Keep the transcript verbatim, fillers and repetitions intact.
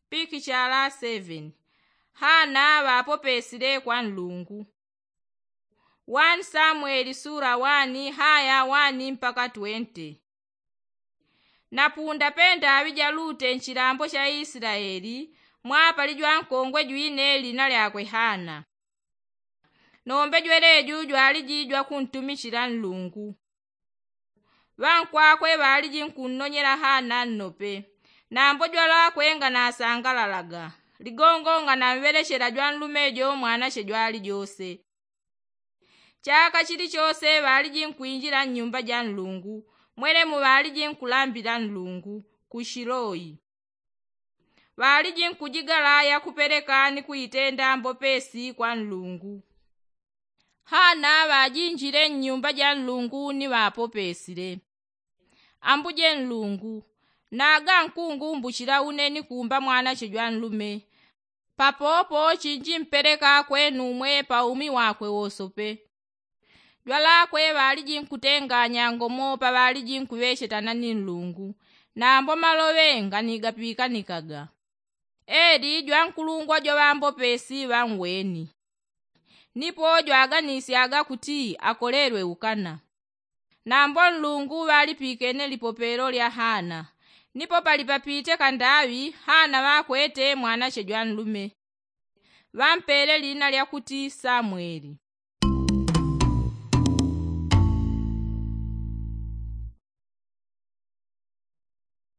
Pikichala seveni. Hana ŵapopesile kwa nlungu. Wani samweli sula wani haya wani mpaka twente. Napunda pendaŵi jalute nchilambo cha isilaeli, mwapali jwankongwe jwine lina lyakwe hana. Nombe jweleju jwaliji jwakuntumichila nlungu. Ŵankwakwe ŵaliji nkunnonyela hana nnope. Nambo jwalakwe nganasangalalaga ligongo nganamŵelechela jwanlume jo mwanache jwalijose. Chaka chilichose ŵaliji nkwinjila nnyumba ja nlungu. Mwelemu ŵaliji nkulambila nlungu ku shiloi. Ŵaliji nkujigala yakupeleka ni kuitenda mbopesi kwa nlungu. Hana ŵajinjile nnyumba ja nlungu ni ŵapopesile. Ambuje nlungu, naga nkungumbuchila une ni kuumba mwanache jwanlume. Papopo chinji mpeleka kwenu umwe pa umi wakwe wosope. Jwalakwe ŵaliji nkutenganya ngomo pa ŵaliji nkuŵechetana ni nlungu. Nambo maloŵe nganigapikanikaga. Eli jwankulungwa jwaŵambopesi ŵanweni. Nipo jwaganisyaga kuti akolelwe ukana. Nambo nlungu ŵalipikene lipopelo lya hana. Nipo palipapite kandaŵi hana ŵakwete mwanache jwanlume. Ŵampele lina lyakuti samweli.